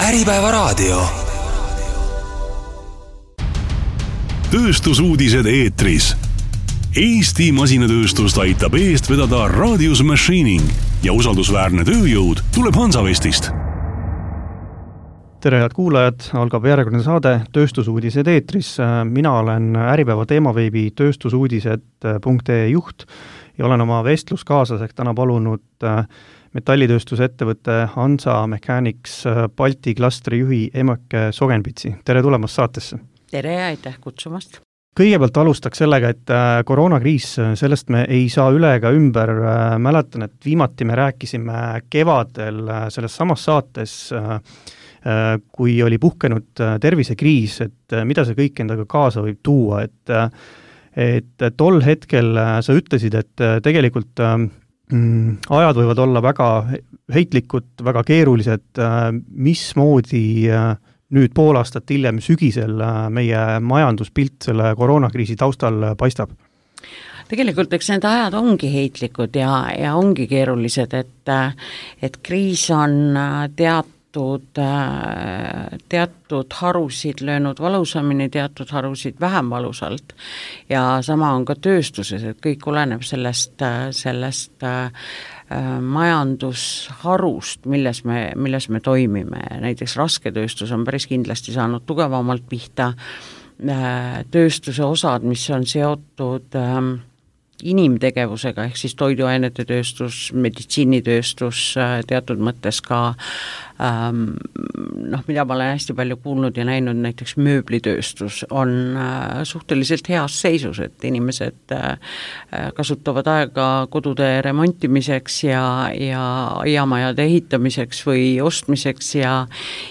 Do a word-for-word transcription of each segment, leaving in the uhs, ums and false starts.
Äripäevaraadio. Tööstusuudised eetris. Eesti masinatööstust aitab eest vedada Radius Machining ja usaldusväärne tööjõud tuleb Hansavestist. Tere head kuulajad, algab järjekordne saade Tööstusuudised eetris. Mina olen Äripäeva teemaveebi tööstusuudised punkt ee juht ja olen oma vestluskaaslaseks täna palunud metallitööstuse ettevõtte Hansa Mechanics Balti klastri juhi Emeke Sogenpitsi. Tere tulemast saatesse. Tere ja aitäh kutsumast. Kõigepealt alustaks sellega, et koroonakriis, sellest me ei saa üle ega ümber. Mäletan, et viimati me rääkisime kevadel selles samas saates, kui oli puhkenud tervisekriis, et mida see kõik endaga kaasa võib tuua. Et, et tol hetkel sa ütlesid, et tegelikult mm, ajad võivad olla väga heitlikud, väga keerulised, mismoodi nüüd pool aastat hiljem sügisel meie majanduspilt selle koroonakriisi taustal paistab? Tegelikult eks need ajad ongi heitlikud ja, ja ongi keerulised, et, et kriis on teatud, teatud harusid löönud valusamini, teatud harusid vähem valusalt ja sama on ka tööstuses, et kõik oleneb sellest, sellest majandusharust, milles me, milles me toimime. Näiteks rasketööstus on päris kindlasti saanud tugevamalt pihta, tööstuse osad, mis on seotud inimtegevusega, ehk siis toiduainete tööstus, meditsiinitööstus, teatud mõttes ka ähm, noh, mida ma olen hästi palju kuulnud ja näinud, näiteks mööblitööstus on äh, suhteliselt heas seisus, et inimesed äh, kasutavad aega kodude remontimiseks ja, ja aiamajade ehitamiseks või ostmiseks ja,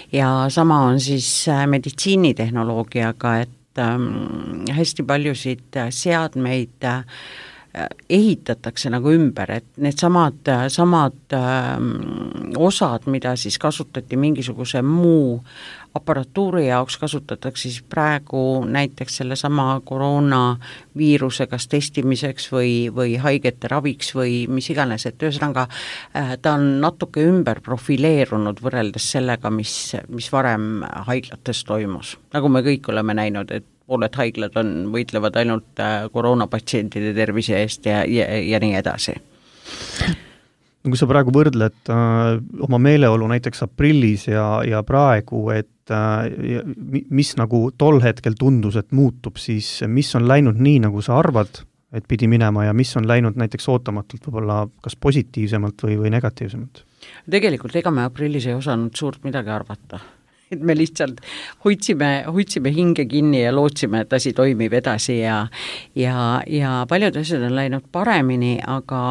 ja sama on siis äh, meditsiinitehnoloogiaga, et ähm, hästi paljusid seadmeid äh, ehitatakse nagu ümber, et need samad, samad ähm, osad, mida siis kasutati mingisuguse muu aparatuuri jaoks, kasutatakse siis praegu näiteks selle sama koroonaviiruse kas testimiseks või, või haigete raviks või mis iganes, et ühesõnaga äh, ta on natuke ümber profileerunud võrreldes sellega, mis, mis varem haiglates toimus. Nagu me kõik oleme näinud, et pooled haiglad on, võitlevad ainult koroonapatsientide tervise eest ja, ja, ja nii edasi. Kui sa praegu võrdled äh, oma meeleolu näiteks aprillis ja, ja praegu, et äh, mis nagu tol hetkel tundus, et muutub, siis mis on läinud nii, nagu sa arvad, et pidi minema ja mis on läinud näiteks ootamatult võib-olla kas positiivsemalt või, või negatiivsemalt? Tegelikult ega me aprillis ei osanud suurt midagi arvata. Et me lihtsalt hoidsime, hoidsime hinge kinni ja lootsime, et asi toimib edasi ja, ja, ja paljud asjad on läinud paremini, aga,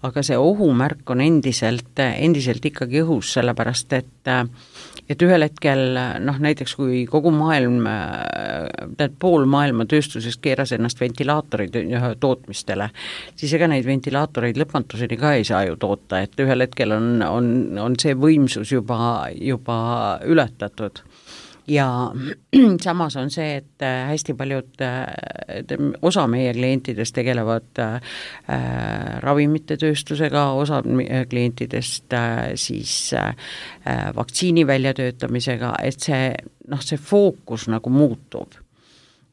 aga see ohumärk on endiselt, endiselt ikkagi õhus, sellepärast et, et ühel hetkel, noh näiteks kui kogu maailm, tead pool maailma tööstusest keeras ennast ventilaatorid tootmistele, siis ega neid ventilaatoreid lõpmatuseni ka ei saa ju toota, et ühel hetkel on, on, on see võimsus juba, juba ületatud. Ja samas on see, et hästi paljud, osa meie klientidest tegelevad äh, ravimite tööstusega, osa klientidest äh, siis äh, vaktsiini väljatöötamisega, et see, noh, see fookus nagu muutub.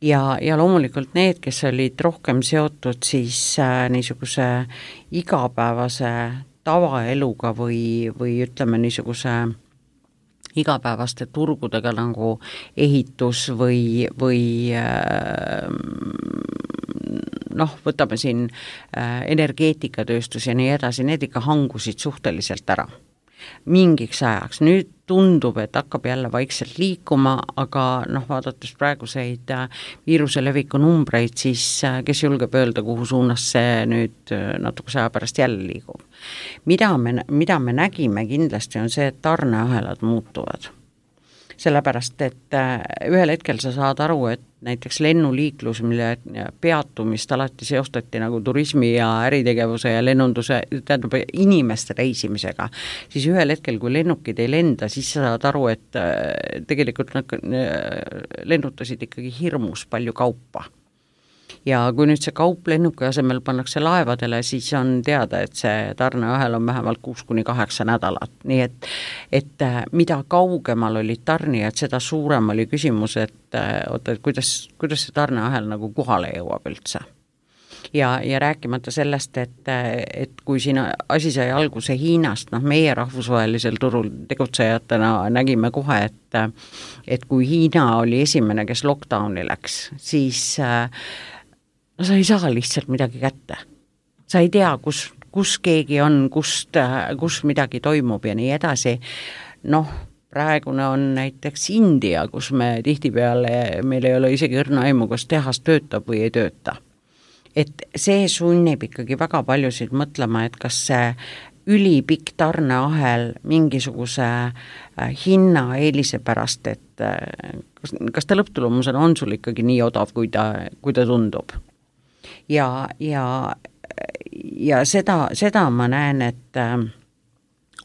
Ja, ja loomulikult need, kes olid rohkem seotud siis äh, niisuguse igapäevase tavaeluga või, või ütleme niisuguse igapäevaste turgudega nagu ehitus või, või noh, võtame siin energeetikatööstus ja nii edasi, need ikka hangusid suhteliselt ära mingiks ajaks. Nüüd tundub, et hakkab jälle vaikselt liikuma, aga noh, vaadates praeguseid viiruse leviku numbreid, siis kes julgeb öelda, kuhu suunas see nüüd natukese aja pärast jälle liigub. Mida me, mida me nägime kindlasti on see, et tarneahelad muutuvad. Sellepärast, et ühel hetkel sa saad aru, et näiteks lennuliiklus, mille peatumist alati seostati nagu turismi ja äritegevuse ja lennunduse, tähendab inimeste reisimisega, siis ühel hetkel, kui lennukid ei lenda, siis sa saad aru, et tegelikult nad lennutasid ikkagi hirmus palju kaupa. ja kui nüüd see kaup lennuki asemel pannakse laevadele, siis on teada, et see tarneahel on vähemalt kuus kuni kaheksa nädalat, nii et, et mida kaugemal olid tarnijad, seda suurem oli küsimus, et oota, et kuidas, kuidas see tarneahel nagu kohale jõuab üldse. Ja, ja rääkimata sellest, et, et kui siin asi sai alguse Hiinast, noh meie rahvusvahelisel turul tegutsejatena nägime kohe, et, et kui Hiina oli esimene, kes lockdowni läks, siis no sa ei saa lihtsalt midagi kätte. Sa ei tea, kus, kus keegi on, kust, kus midagi toimub ja nii edasi. Noh, praegune on näiteks India, kus me tihtipeale, meil ei ole isegi õrna aimu, kas tehas töötab või ei tööta. Et see sunnib ikkagi väga paljusid mõtlema, et kas see ülipikk tarneahel mingisuguse hinna eelise pärast, et kas, kas ta lõpptulemusena on sul ikkagi nii odav, kui ta, kui ta tundub. Ja, ja, ja seda, seda ma näen, et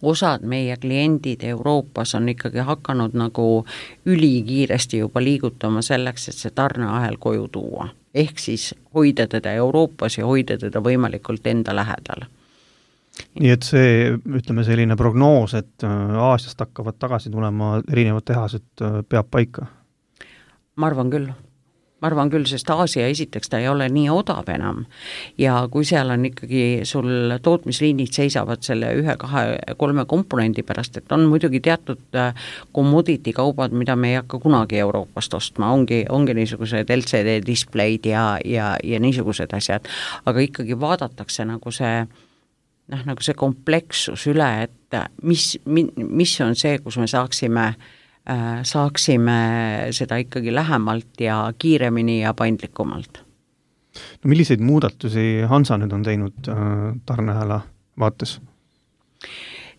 osad meie kliendid Euroopas on ikkagi hakanud nagu ülikiiresti juba liigutama selleks, et see tarneahel koju tuua. Ehk siis hoida teda Euroopas ja hoida teda võimalikult enda lähedal. Nii et see, ütleme selline prognoos, et Aasiast hakkavad tagasi tulema erinevad tehased, peab paika? Ma arvan küll. Ma arvan küll, sest Aasia esiteks ta ei ole nii odav enam ja kui seal on ikkagi sul tootmisliinid seisavad selle ühe, kahe, kolme komponendi pärast, et on muidugi teatud commodity kaubad, mida me ei hakka kunagi Euroopast ostma, ongi, ongi niisugused L C D displeid ja, ja, ja niisugused asjad, aga ikkagi vaadatakse nagu see noh, nagu see komplekssus üle, et mis, mis on see, kus me saaksime saaksime seda ikkagi lähemalt ja kiiremini ja paindlikumalt. No milliseid muudatusi Hansa nüüd on teinud tarneahela vaates?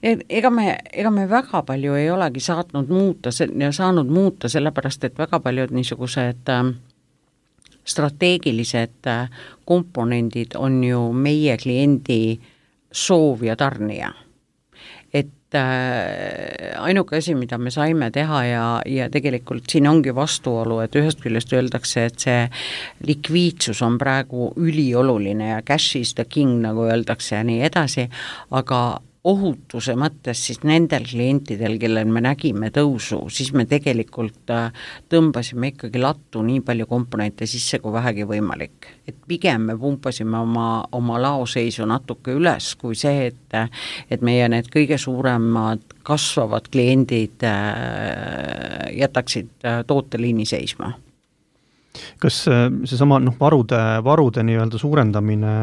Ega me, ega me väga palju ei olegi saatnud muuta, saanud muuta, sellepärast, et väga paljud niisugused strateegilised komponendid on ju meie kliendi soov ja tarnija. Et ainuke asi, mida me saime teha ja, ja tegelikult siin ongi vastuolu, et ühest küljest öeldakse, et see likviidsus on praegu ülioluline ja cash is the king, nagu öeldakse ja nii edasi, aga ohutuse mõttes siis nendel klientidel, kellel me nägime tõusu, siis me tegelikult tõmbasime ikkagi lattu nii palju komponente sisse, kui vähegi võimalik. Et pigem me pumpasime oma, oma laoseisu natuke üles, kui see, et, et meie need kõige suuremad kasvavad kliendid jätaksid tooteliini seisma. Kas seesama noh, varude, varude nii-öelda suurendamine,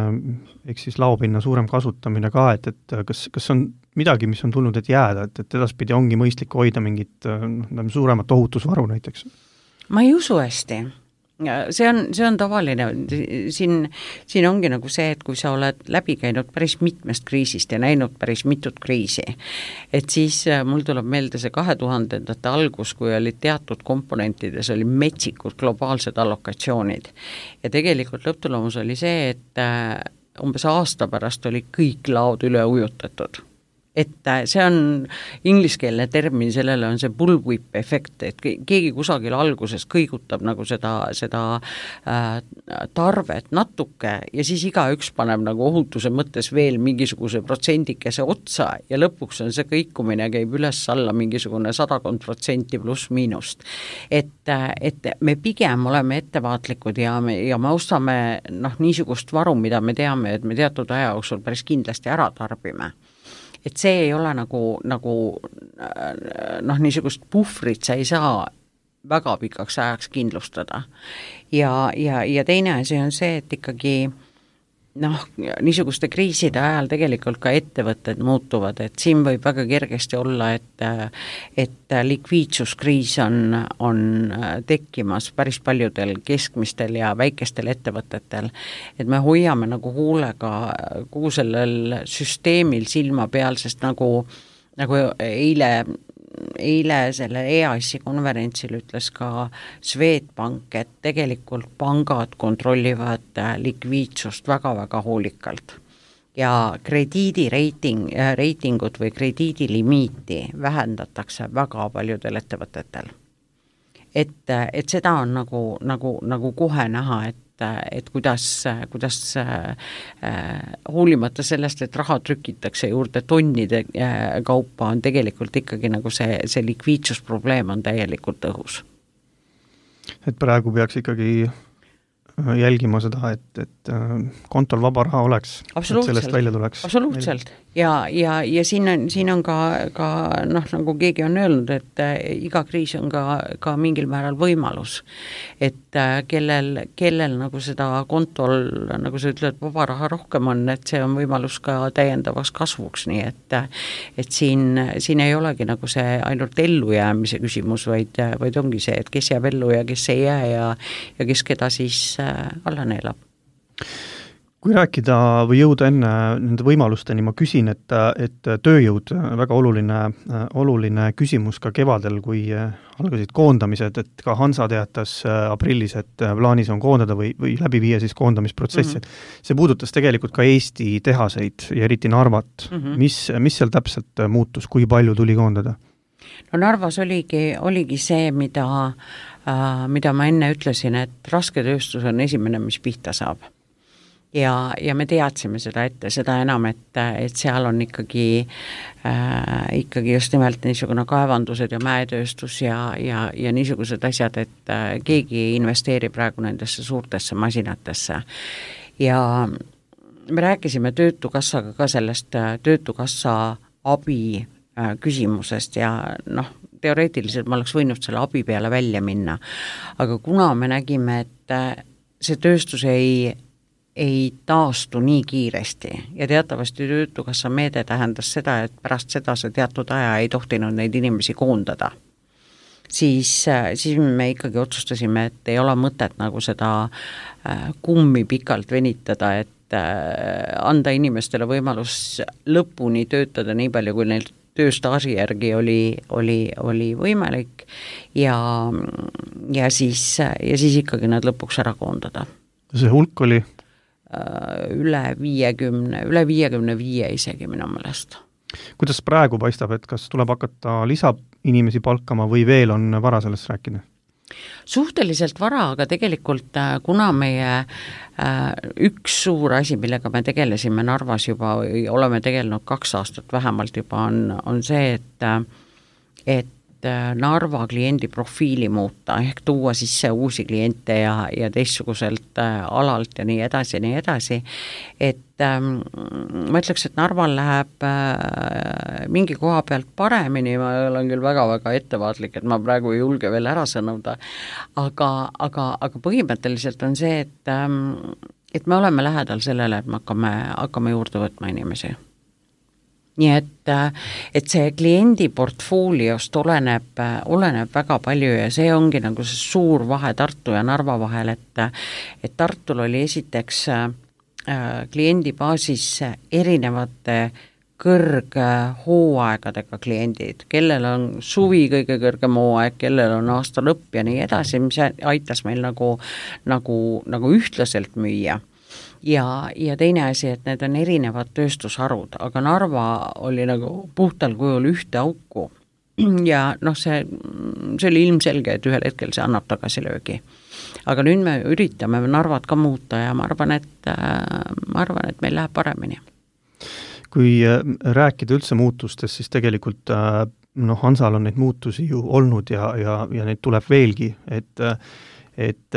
ehk siis laopinna suurem kasutamine ka, et, et kas, kas on midagi, mis on tulnud, et jääda, et, et edaspidi ongi mõistlik hoida mingit no, suuremat ohutusvaru näiteks? Ma ei usu hästi. See on, see on tavaline, siin, siin ongi nagu see, et kui sa oled läbi käinud päris mitmest kriisist ja näinud päris mitut kriisi, et siis mul tuleb meelde see kahe tuhandendate algus, kui olid teatud komponentides, oli metsikud globaalsed allokatsioonid ja tegelikult lõpptulemus oli see, et umbes aasta pärast oli kõik laod üle ujutatud. Et see on ingliskeelne termin, sellele on see bullwhip efekt, et keegi kusagil alguses kõigutab nagu seda, seda äh, tarvet natuke ja siis igaüks paneb nagu ohutuse mõttes veel mingisuguse protsendikese otsa ja lõpuks on see kõikumine käib üles alla mingisugune sadakond protsenti pluss miinust. Et, et me pigem oleme ettevaatlikud ja me, ja me ostame noh, niisugust varu, mida me teame, et me teatud aja jooksul päris kindlasti ära tarbime. Et see ei ole nagu, nagu noh, niisugust puhvrit sa ei saa väga pikaks ajaks kindlustada. Ja, ja, ja teine asi on see, et ikkagi noh, niisuguste kriiside ajal tegelikult ka ettevõtted muutuvad, et siin võib väga kergesti olla, et, et likviidsuskriis on, on tekkimas päris paljudel keskmistel ja väikestel ettevõtetel, et me hoiame nagu huulega kogu sellel süsteemil silma peal, sest nagu, nagu eile eile selle E A S-i konverentsil ütles ka Swedbank, et tegelikult pangad kontrollivad likviidsust väga-väga hoolikalt. Ja krediidireiting, reitingut või krediidilimiiti vähendatakse väga paljudel ettevõtetel. Et, et seda on nagu, nagu, nagu kohe näha, et, et kuidas, kuidas hoolimata sellest, et raha trükitakse juurde tonnide kaupa, on tegelikult ikkagi nagu see, see likviidsusprobleem on täielikult õhus. Et praegu peaks ikkagi jälgima seda, et, et kontol vaba raha oleks, et sellest välja tuleks. Absoluutselt. Ja, ja, ja siin on, siin on ka, ka noh, nagu keegi on öelnud, et iga kriis on ka, ka mingil määral võimalus. Et kellel, kellel nagu seda kontol, nagu sa ütled, vaba raha rohkem on, et see on võimalus ka täiendavaks kasvuks, nii et, et siin, siin ei olegi nagu see ainult ellujäämise küsimus, vaid, vaid ongi see, et kes jääb ellu ja kes ei jää ja, ja kes keda siis alla neelab. Kui rääkida või jõuda enne nende võimalusteni, ma küsin, et, et tööjõud, väga oluline, oluline küsimus ka kevadel, kui algasid koondamised, et ka Hansa teatas aprillis, et plaanis on koondada või, või läbi viia siis koondamisprotsessi. Mm-hmm. See puudutas tegelikult ka Eesti tehaseid ja eriti Narvat. Mm-hmm. Mis, mis seal täpselt muutus, kui palju tuli koondada? No Narvas oligi, oligi see, mida, äh, mida ma enne ütlesin, et raske tööstus on esimene, mis pihta saab. Ja, ja me teadsime seda ette, seda enam, et, et seal on ikkagi, äh, ikkagi just nimelt niisugune kaevandused ja mäetööstus ja, ja, ja niisugused asjad, et äh, keegi ei investeeri praegu nendesse suurtesse masinatesse. Ja me rääkisime Töötukassaga ka sellest Töötukassa abi äh, küsimusest ja noh, teoreetiliselt ma oleks võinud selle abi peale välja minna, aga kuna me nägime, et äh, see tööstus ei ei taastu nii kiiresti ja teatavasti Töötukassa meede tähendas seda, et pärast seda see teatud aja ei tohtinud neid inimesi koondada. Siis, siis me ikkagi otsustasime, et ei ole mõtet nagu seda kummi pikalt venitada, et anda inimestele võimalus lõpuni töötada nii palju, kui neil tööstaaži järgi oli, oli, oli võimalik ja, ja, siis, ja siis ikkagi nad lõpuks ära koondada. See hulk oli? üle viiekümne, üle viiekümne viie isegi minu meelest. Kuidas praegu paistab, et kas tuleb hakata lisa inimesi palkama või veel on vara sellest rääkida? Suhteliselt vara, aga tegelikult kuna meie üks suur asi, millega me tegelesime Narvas juba, oleme tegelenud kaks aastat vähemalt juba, on, on see, et, et Narva kliendi profiili muuta, ehk tuua sisse uusi kliente ja, ja teistsuguselt alalt ja nii edasi ja nii edasi, et ähm, ma ütleks, et Narval läheb äh, mingi koha pealt paremini, ma olen küll väga-väga ettevaatlik, et ma praegu ei julge veel ära sõnuda, aga, aga, aga põhimõtteliselt on see, et, ähm, et me oleme lähedal sellele, et me hakkame, hakkame juurde võtma inimesi. Nii et, et see kliendi portfooliost oleneb, oleneb väga palju ja see ongi nagu see suur vahe Tartu ja Narva vahel, et, et Tartul oli esiteks äh, kliendi baasis erinevate kõrghooaegadega kliendid, kellel on suvi kõige kõrgem hooaeg, kellel on aasta lõpp ja nii edasi, mis aitas meil nagu, nagu, nagu ühtlaselt müüa. Ja, ja teine asi, et need on erinevad tööstusharud, aga Narva oli nagu puhtal kujul ühte auku ja noh, see, see oli ilmselge, et ühel hetkel see annab tagasilöögi. Aga nüüd me üritame Narvat ka muuta ja ma arvan, et, ma arvan, et meil läheb paremini. Kui rääkida üldse muutustest, siis tegelikult noh, Hansal on neid muutusi ju olnud ja, ja, ja neid tuleb veelgi, et et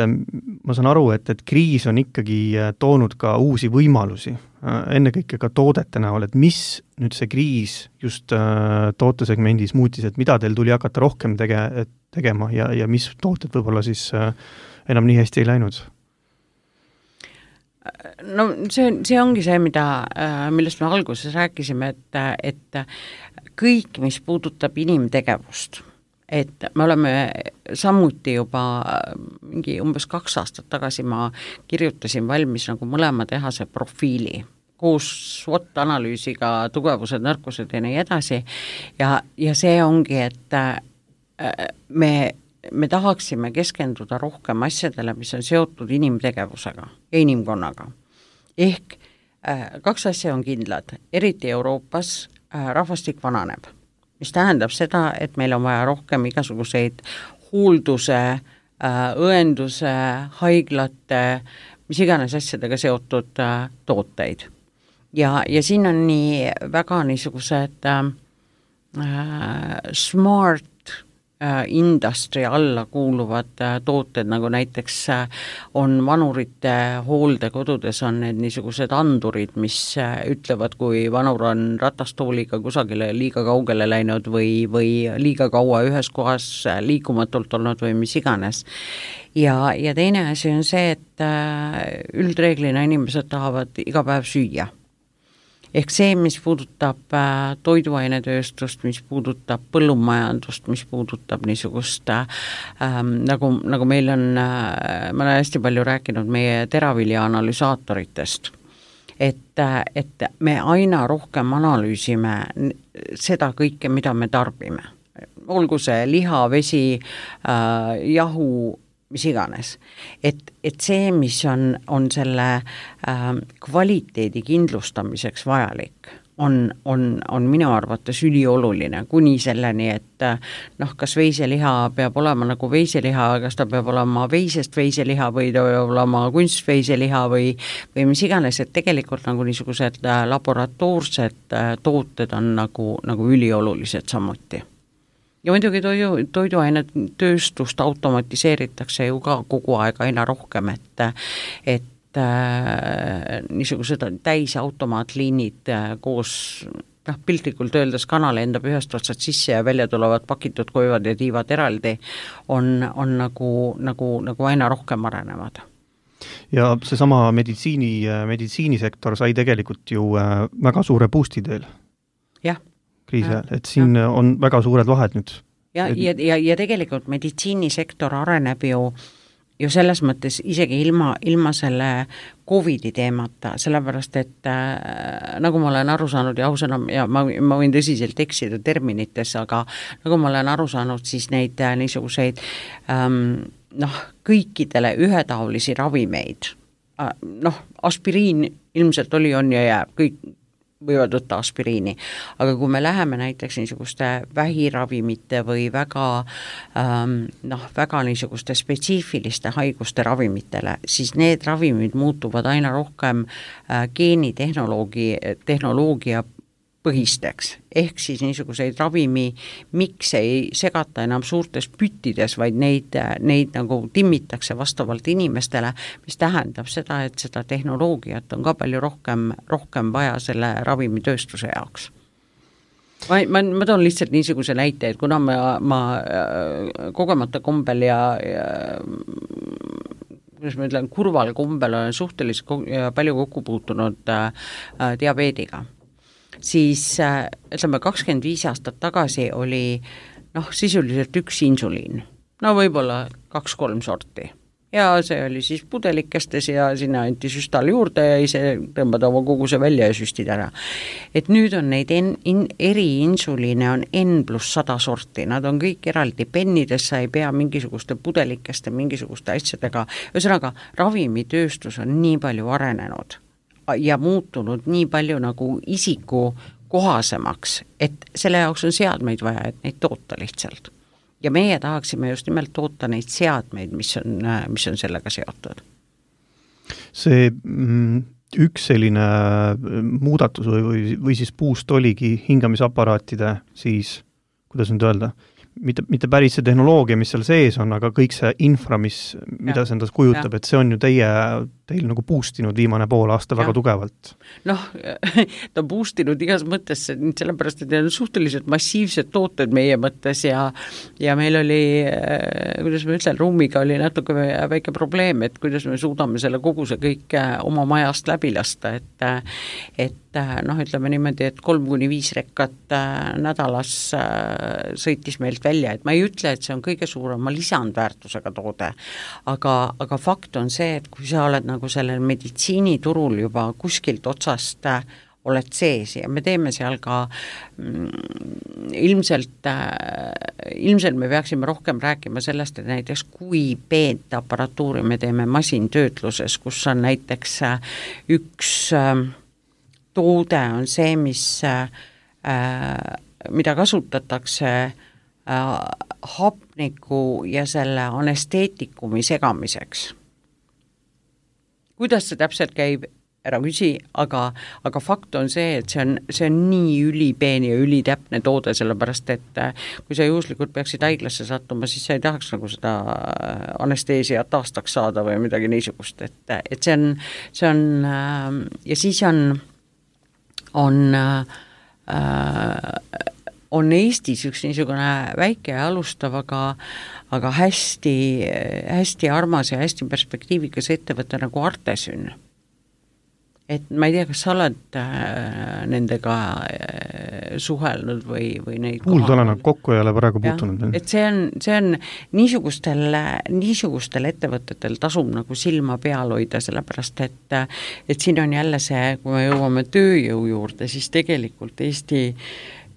ma saan aru, et, et kriis on ikkagi toonud ka uusi võimalusi, ennekõike ka toodete näol, et mis nüüd see kriis just tootesegmendis muutis, et mida teil tuli hakata rohkem tege, tegema ja, ja mis tooted võib-olla siis enam nii hästi ei läinud? No see, see ongi see, mida, millest me alguses rääkisime, et, et kõik, mis puudutab inimtegevust, et me oleme samuti juba mingi umbes kaks aastat tagasi ma kirjutasin valmis nagu mõlema tehase profiili koos SWOT-analüüsiga, tugevused, nõrkused ja nii edasi ja, ja see ongi, et me, me tahaksime keskenduda rohkem asjadele, mis on seotud inimtegevusega ja inimkonnaga. Ehk kaks asja on kindlad, eriti Euroopas rahvastik vananeb, mis tähendab seda, et meil on vaja rohkem igasuguseid hoolduse, õenduse, haiglate, mis iganes asjadega seotud äh, tooteid. Ja, ja siin on nii väga niisugused äh, smart industry alla kuuluvad tooted, nagu näiteks on vanurite hooldekodudes on need niisugused andurid, mis ütlevad, kui vanur on ratastooliga kusagile liiga kaugele läinud või, või liiga kaua ühes kohas liikumatult olnud või mis iganes. Ja, ja teine asi on see, et üldreeglina inimesed tahavad iga päev süüa. Ehk see, mis puudutab äh, toiduainetööstust, mis puudutab põllumajandust, mis puudutab niisugust äh, nagu, nagu meil on, äh, ma olen hästi palju rääkinud meie teravilja analüsaatoritest, et, et me aina rohkem analüüsime seda kõike, mida me tarbime. Olgu see liha, vesi, äh, jahu, mis iganes. Et, et see, mis on, on selle äh, kvaliteedi kindlustamiseks vajalik, on, on, on minu arvates ülioluline, kuni selleni, et noh, kas veiseliha peab olema nagu veiseliha, kas ta peab olema veisest veiseliha või ta peab olema kunstveiseliha või, või mis iganes, et tegelikult nagu niisugused laboratoorsed tooted on nagu, nagu üliolulised samuti. Ja muidugi toidu, toiduainet tööstust automatiseeritakse ju ka kogu aeg aina rohkem, et, et äh, niisugused täisautomaatliinid äh, koos noh, piltlikult öeldes kanal endab ühest otsad sisse ja välja tulevad pakitud koivad ja tiivad eraldi, on, on nagu, nagu, nagu aina rohkem arenevad. Ja seesama meditsiini, meditsiinisektor sai tegelikult ju väga suure boosti teel. Jah. kriisi ajal, et siin ja. on väga suured vahed nüüd. Ja, ja, ja, ja tegelikult meditsiinisektor areneb ju, ju selles mõttes isegi ilma, ilma selle Covidi teemata, sellepärast, et äh, nagu ma olen aru saanud ja ausõna, ja ma, ma võin tõsiselt eksida terminites, aga nagu ma olen aru saanud, siis neid äh, niisuguseid ähm, noh, kõikidele ühetaolisi ravimeid, äh, noh, aspiriin ilmselt oli, on ja jääb, kõik võivad võtta aspiriini, aga kui me läheme näiteks niisuguste vähiravimite või väga, ähm, noh, väga niisuguste spetsiifiliste haiguste ravimitele, siis need ravimid muutuvad aina rohkem äh, geenitehnoloogi, tehnoloogia põhisteks, ehk siis niisuguseid ravimi, miks ei segata enam suurtes püttides, vaid neid, neid nagu timmitakse vastavalt inimestele, mis tähendab seda, et seda tehnoloogiat on ka palju rohkem, rohkem vaja selle ravimitööstuse jaoks. Ma, ma, ma toon lihtsalt niisuguse näite, et kuna ma, ma kogemata kombel ja, ja kuidas ma ütlen, kurval kombel olen suhteliselt palju kokku puutunud äh, diabeediga, siis ütleme kakskümmend viis aastat tagasi oli noh, sisuliselt üks insuliin, no võib-olla kaks-kolm sorti. Ja see oli siis pudelikestes ja sinna anti süstal juurde ja ise tõmbad oma koguse välja ja süstid ära. Et nüüd on neid en, in, eri insuliine on N pluss sada sorti, nad on kõik eraldi pennides, sa ei pea mingisuguste pudelikeste, mingisuguste asjadega, ühesõnaga ravimitööstus on nii palju arenenud ja muutunud nii palju nagu isiku kohasemaks, et selle jaoks on seadmeid vaja, et neid toota lihtsalt. Ja meie tahaksime just nimelt toota neid seadmeid, mis on, mis on sellega seotud. See mm, üks selline muudatus või, või, või siis puust oligi hingamisaparaatide siis, kuidas nüüd öelda, mitte, mitte päris see tehnoloogia, mis seal sees on, aga kõik see infra, mis, mida ja, see endas kujutab, ja. Et see on ju teie, teil nagu boostinud viimane pool aasta ja. Väga tugevalt. Noh, ta boostinud igas mõttes, sellepärast, et need on suhteliselt massiivsed tooted meie mõttes ja, ja meil oli, kuidas ma ütlen, ruumiga oli natuke väike probleem, et kuidas me suudame selle koguse kõik oma majast läbi lasta, et, et noh, ütleme niimoodi, et kolm kuni viis rekkat nädalas sõitis meilt välja, et ma ei ütle, et see on kõige suurema lisandväärtusega toode, aga, aga fakt on see, et kui sa oled nagu sellel meditsiiniturul juba kuskilt otsast oled sees ja me teeme seal ka mm, ilmselt, ilmselt me peaksime rohkem rääkima sellest, et näiteks kui peent aparatuuri me teeme masintöötluses, kus on näiteks üks toode on see, mis, mida kasutatakse hapniku ja selle anesteetikumi segamiseks. kuidas see täpselt käib, ära küsi, aga, aga fakt on see, et see on, see on nii ülipeen ja ülitäpne toode, sellepärast et kui sa juhuslikult peaksid haiglasse sattuma, siis sa ei tahaks nagu seda anesteesiat aastaks saada või midagi niisugust, et, et see on, see on ja siis on, on on Eestis üks niisugune väike ja alustav, aga, aga hästi, hästi armas ja hästi perspektiivikas ettevõte nagu Artesyn. Et ma ei tea, kas sa oled nendega suhelnud või, või neid kuulda olen, kokku ei ole praegu puutunud. Et see on, see on niisugustel, niisugustel ettevõtetel tasub nagu silma peal hoida, sellepärast et, et siin on jälle see, kui me jõuame tööjõu juurde, siis tegelikult Eesti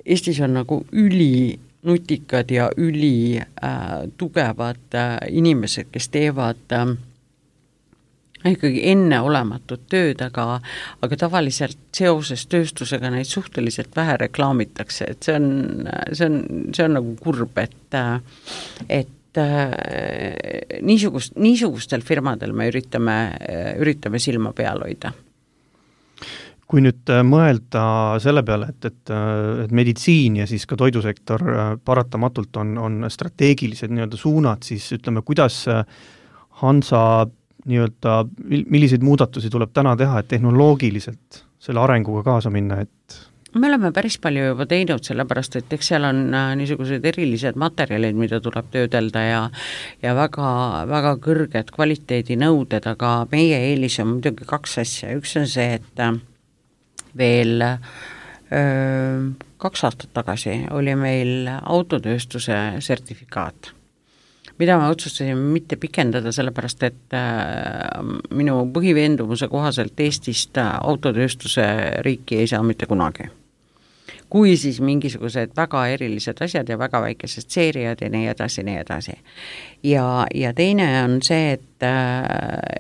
Eestis on nagu üli nutikad ja üli äh, tugevad äh, inimesed, kes teevad äh, ikkagi enneolematut tööd, aga, aga tavaliselt seoses tööstusega neid suhteliselt vähe reklaamitakse, et see on, see on, see on nagu kurb, et, et äh, niisugust, niisugustel firmadel me üritame, üritame silma peal hoida. Kui nüüd mõelda selle peale, et, et, et meditsiin ja siis ka toidusektor paratamatult on, on strateegilised nii-öelda suunad, siis ütleme, kuidas Hansa nii-öelda, milliseid muudatusi tuleb täna teha, et tehnoloogiliselt selle arenguga kaasa minna, et me oleme päris palju juba teinud, sellepärast, et eks seal on niisugused erilised materjalid, mida tuleb töödelda ja, ja väga, väga kõrged kvaliteedinõuded, aga meie eelis on muidugi kaks asja. Üks on see, et veel öö, kaks aastat tagasi oli meil autotööstuse sertifikaat, mida me otsustasime mitte pikendada, sellepärast et äh, minu põhiveendumuse kohaselt Eestist autotööstuse riiki ei saa mitte kunagi. Kui siis mingisugused väga erilised asjad ja väga väikesed seeriad ja nii edasi, nii edasi. Ja, ja teine on see, et,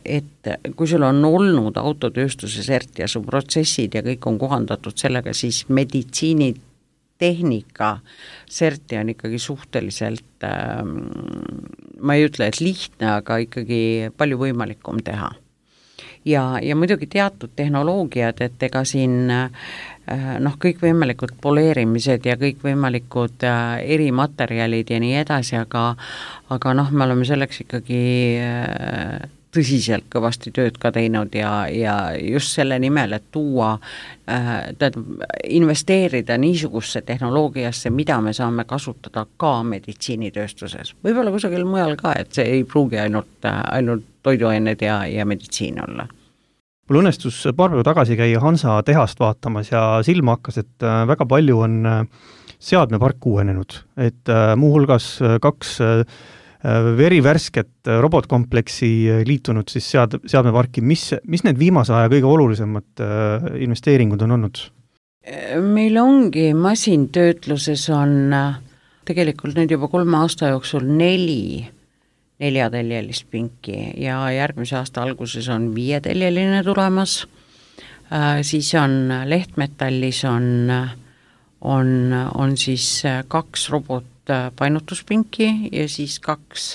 et kui sul on olnud autotööstuse sert ja su protsessid ja kõik on kohandatud sellega, siis meditsiini tehnika serti on ikkagi suhteliselt, ma ei ütle, et lihtne, aga ikkagi palju võimalikum teha. Ja, ja muidugi teatud tehnoloogiad, et ega siin noh, kõikvõimalikud poleerimised ja kõikvõimalikud erimaterjalid ja nii edasi, aga, aga noh, me oleme selleks ikkagi tõsiselt kõvasti tööd ka teinud ja, ja just selle nimel, et tuua, tähendab, investeerida niisugusse tehnoloogiasse, mida me saame kasutada ka meditsiinitööstuses. Võib-olla kusagil mujal ka, et see ei pruugi ainult, ainult toiduained ja, ja meditsiin olla. Mul õnnestus paar päeva tagasi käia Hansa tehast vaatamas ja silma hakkas, et väga palju on seadmepark uuenenud, et muuhulgas kaks verivärsket robotkompleksi liitunud siis sead, seadmeparki. Mis, mis need viimase aja kõige olulisemad investeeringud on olnud? Meil ongi masintöötluses on tegelikult nüüd juba kolme aasta jooksul neli neljateljelist pinki ja järgmise aasta alguses on viieteljeline tulemas, siis on lehtmetallis on, on, on siis kaks robotpainutuspinki ja siis kaks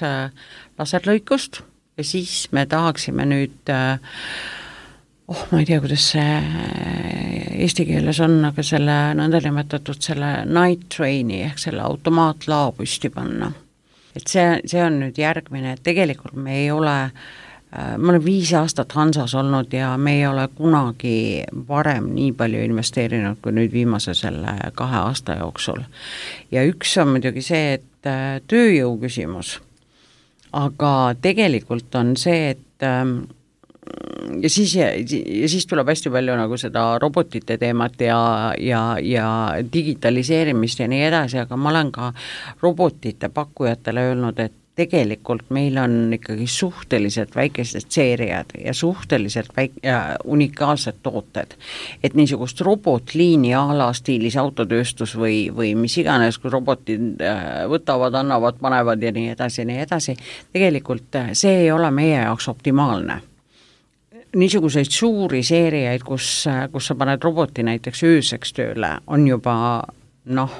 laserlõikust ja siis me tahaksime nüüd, oh ma ei tea, kuidas see eesti keeles on, aga selle nõndanimetatud selle night train'i ehk selle automaatlao püsti panna. Et see, see on nüüd järgmine, et tegelikult me ei ole, me oleme viis aastat Hansas olnud ja me ei ole kunagi varem nii palju investeerinud kui nüüd viimase selle kahe aasta jooksul. Ja üks on muidugi see, et tööjõu küsimus, aga tegelikult on see, et ja siis, ja, ja siis tuleb hästi palju nagu seda robotite teemat ja, ja, ja digitaliseerimist ja nii edasi, aga ma olen ka robotite pakkujatele öelnud, et tegelikult meil on ikkagi suhteliselt väikesed seeriad ja suhteliselt väik- ja unikaalsed tooted. Et niisugust robotliini ala stiilis autotööstus või, või mis iganes, kui robotid võtavad, annavad, panevad ja nii edasi, nii edasi, tegelikult see ei ole meie jaoks optimaalne. Niisuguseid suuri seeriaid, kus, kus sa paned roboti näiteks ööseks tööle, on juba noh,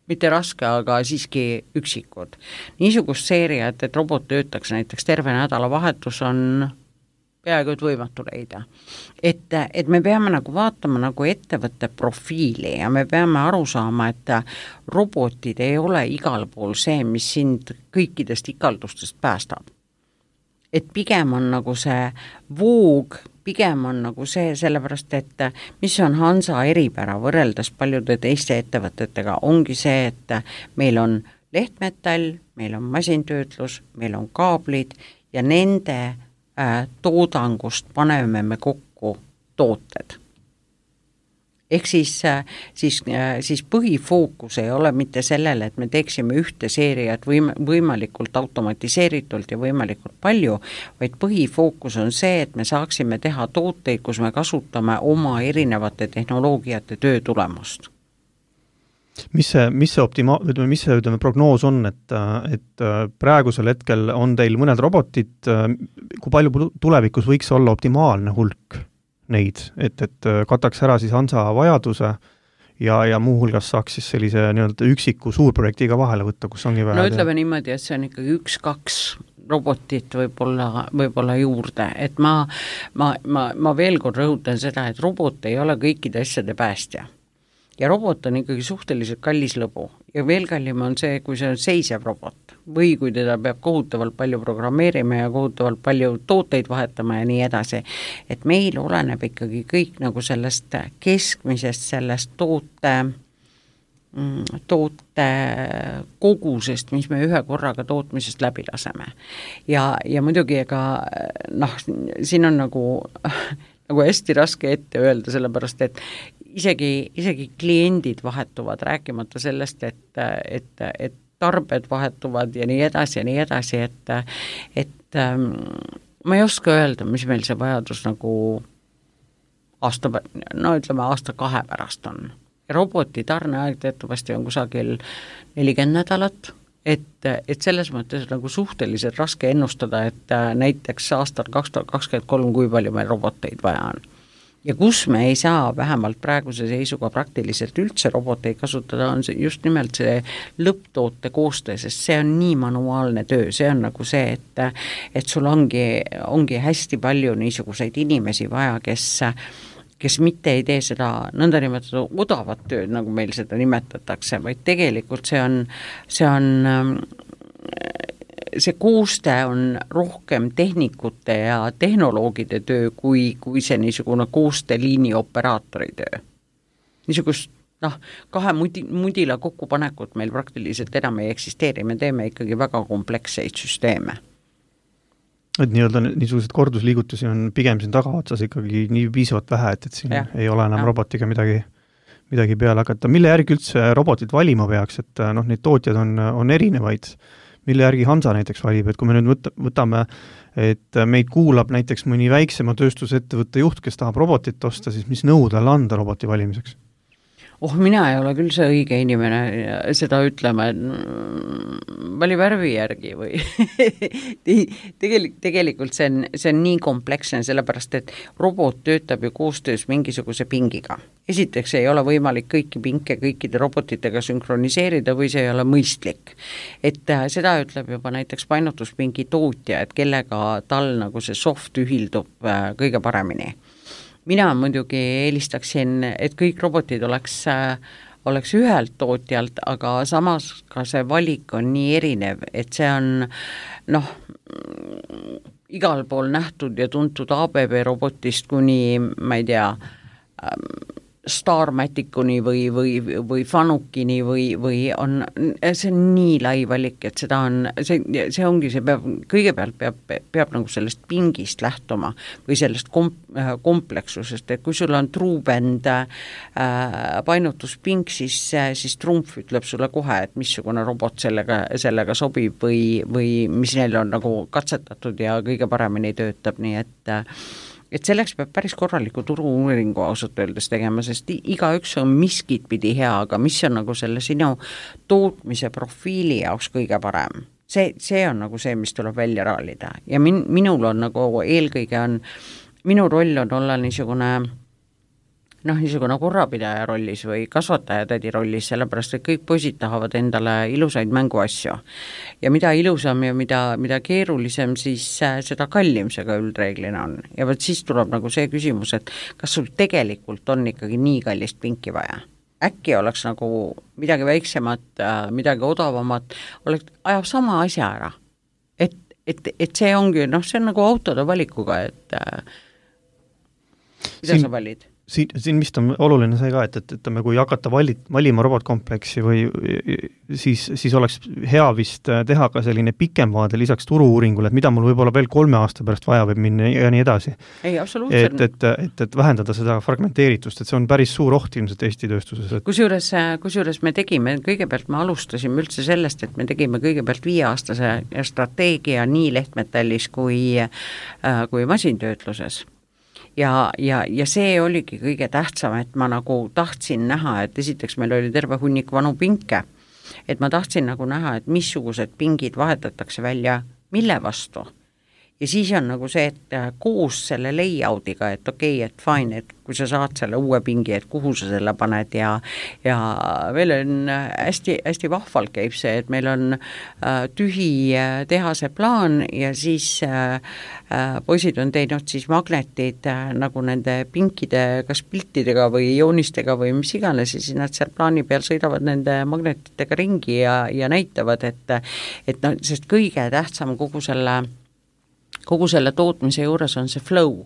mitte raske, aga siiski üksikud. Niisugust seeriat, et robot töötaks näiteks terve nädalavahetus on peaaegu et võimatu leida. Et, et me peame nagu vaatama nagu ettevõtte profiili ja me peame aru saama, et robotid ei ole igal pool see, mis sind kõikidest ikaldustest päästab. Et pigem on nagu see voog, pigem on nagu see, sellepärast, et mis on Hansa eripära võrreldes paljude teiste ettevõtetega, ongi see, et meil on lehtmetall, meil on masintöötlus, meil on kaablid ja nende äh, toodangust paneme me kokku tooted. Ehk siis, siis, siis põhifookus ei ole mitte sellele, et me teeksime ühte seeriat võim, võimalikult automatiseeritult ja võimalikult palju, vaid põhifookus on see, et me saaksime teha tooteid, kus me kasutame oma erinevate tehnoloogiate töö tulemust. Mis see, mis see optima-, ütleme, mis see ütleme, prognoos on, et, et praegusel hetkel on teil mõned robotid, kui palju tulevikus võiks olla optimaalne hulk neid, et, et kataks ära siis Hansa vajaduse ja, ja muuhulgas saaks siis sellise nii-öelda üksiku suurprojektiga vahele võtta, kus ongi vaja. No ütleme niimoodi, et see on ikkagi üks-kaks robotit võib-olla, võib-olla juurde, et ma, ma, ma, ma veel kord rõhutan seda, et robot ei ole kõikide asjade päästja. Ja robot on ikkagi suhteliselt kallis lõbu ja veel kallim on see, kui see on seisev robot või kui teda peab kohutavalt palju programmeerima ja kohutavalt palju tooteid vahetama ja nii edasi. Et meil oleneb ikkagi kõik nagu sellest keskmisest, sellest toote, toote kogusest, mis me ühe korraga tootmisest läbi laseme. Ja, ja muidugi ega noh, siin on nagu, nagu hästi raske ette öelda, sellepärast et isegi, isegi kliendid vahetuvad, rääkimata sellest, et, et, et tarbed vahetuvad ja nii edasi ja nii edasi, et, et ähm, ma ei oska öelda, mis meil see vajadus nagu aasta, no ütleme aasta kahe pärast on. Ja roboti tarneaeg teatavasti on kusagil nelikümmend nädalat, et, et selles mõttes nagu suhteliselt raske ennustada, et näiteks aastal kaks tuhat kakskümmend kolm, kui palju meil roboteid vaja on. Ja kus me ei saa vähemalt praeguse seisuga praktiliselt üldse roboteid kasutada, on see just nimelt see lõpptoote koostöö, sest see on nii manuaalne töö, see on nagu see, et, et sul ongi, ongi hästi palju niisuguseid inimesi vaja, kes, kes mitte ei tee seda nõndanimetatud odavat tööd, nagu meil seda nimetatakse, vaid tegelikult see on, see on see koostöö on rohkem tehnikute ja tehnoloogide töö kui, kui see niisugune koostööliini operaatori töö. Niisugust noh, kahe mudi, mudila kokkupanekut meil praktiliselt enam ei eksisteeri, me teeme ikkagi väga kompleksseid süsteeme. Et nii-öelda niisugused kordusliigutusi on pigem siin tagaotsas ikkagi nii piisavalt vähe, et, et siin ja, ei ole enam ja. robotiga midagi, midagi peale hakata. Mille järgi üldse robotit valima peaks, et noh, neid tootjad on, on erinevaid, mille järgi Hansa näiteks valib, et kui me nüüd võtame, et meid kuulab näiteks mõni väiksema tööstusettevõtte juht, kes tahab robotit osta, siis mis nõu talle anda roboti valimiseks? Oh, mina ei ole küll see õige inimene seda ütlema, et vali värvi järgi või Tegelik, tegelikult see on, see on nii kompleksne, sellepärast et robot töötab ju koostöös mingisuguse pingiga. Esiteks ei ole võimalik kõiki pinke kõikide robotitega sünkroniseerida või see ei ole mõistlik. Et seda ütleb juba näiteks painutuspingi tootja, et kellega tal nagu see soft ühildub kõige paremini. Mina muidugi eelistaksin, et kõik robotid oleks, oleks ühelt tootjalt, aga samas ka see valik on nii erinev, et see on noh, igal pool nähtud ja tuntud A B B robotist kuni, ma ei tea, Starmaticuni või, või, või Fanukini või, või on, see on nii lai valik, et seda on, see, see ongi, see peab, kõigepealt peab, peab nagu sellest pingist lähtuma või sellest komp, kompleksusest, et kui sul on truubend äh, painutuspink, siis, siis Trumf ütleb sulle kohe, et missugune robot sellega, sellega sobib või, või mis neil on nagu katsetatud ja kõige paremini töötab, nii et et selleks peab päris korraliku turu-uuringu ausalt öeldes tegema, sest iga üks on miskit pidi hea, aga mis on nagu selle sinu tootmise profiili jaoks kõige parem. See, see on nagu see, mis tuleb välja raalida ja min, minul on nagu eelkõige on, minu roll on olla niisugune noh, niisugune korrapidaja rollis või kasvatajatädi rollis, sellepärast et kõik poisid tahavad endale ilusaid mänguasju. Ja mida ilusam ja mida, mida keerulisem, siis seda kallim see ka üldreeglina on. Ja võt siis tuleb nagu see küsimus, et kas sul tegelikult on ikkagi nii kallist pinki vaja? Äkki oleks nagu midagi väiksemat, midagi odavamat, oleks, ajab sama asja ära. Et, et, et see ongi, noh, see on nagu autode valikuga, et mida siin, sa valid? Siin, siin vist on oluline see ka, et, et, et kui hakata valit, valima robotkompleksi või siis, siis oleks hea vist teha ka selline pikem vaade lisaks turu-uuringule, et mida mul võib-olla veel kolme aasta pärast vaja võib minna ja nii edasi. Ei, absoluutselt. Et, et, et, et vähendada seda fragmenteeritust, et see on päris suur oht ilmselt Eesti tööstuses. Et... Kusjuures, kusjuures me tegime, kõigepealt me alustasime üldse sellest, et me tegime kõigepealt viieaastase strateegia nii lehtmetallis kui, kui masintöötluses. Ja, ja, ja see oligi kõige tähtsam, et ma nagu tahtsin näha, et esiteks meil oli terve hunnik vanu pinke, et ma tahtsin nagu näha, et missugused pingid vahetatakse välja, mille vastu. Ja siis on nagu see, et koos selle layoutiga, et okei, okay, et fine, et kui sa saad selle uue pingi, et kuhu sa selle paned ja, ja veel on hästi, hästi vahvalt käib see, et meil on äh, tühi tehase plaan ja siis äh, äh, poisid on teinud siis magnetid äh, nagu nende pinkide kas piltidega või joonistega või mis iganes ja siis nad seal plaani peal sõidavad nende magnetitega ringi ja, ja näitavad, et, et no, sest kõige tähtsam kogu selle kogu selle tootmise juures on see flow,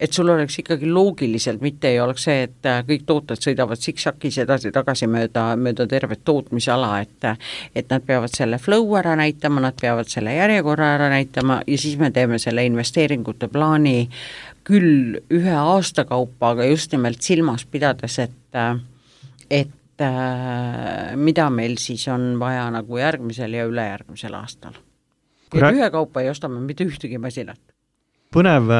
et sul oleks ikkagi loogiliselt, mitte ei oleks see, et kõik tooted sõidavad siksakis edasi-tagasi mööda, mööda tervet tootmisala, et, et nad peavad selle flow ära näitama, nad peavad selle järjekorra ära näitama ja siis me teeme selle investeeringute plaani küll ühe aasta kaupa, aga just nimelt silmas pidades, et, et mida meil siis on vaja nagu järgmisel ja ülejärgmisel aastal. Ja ühe kaupa ei ostame mitte ühtegi masinat. Põnev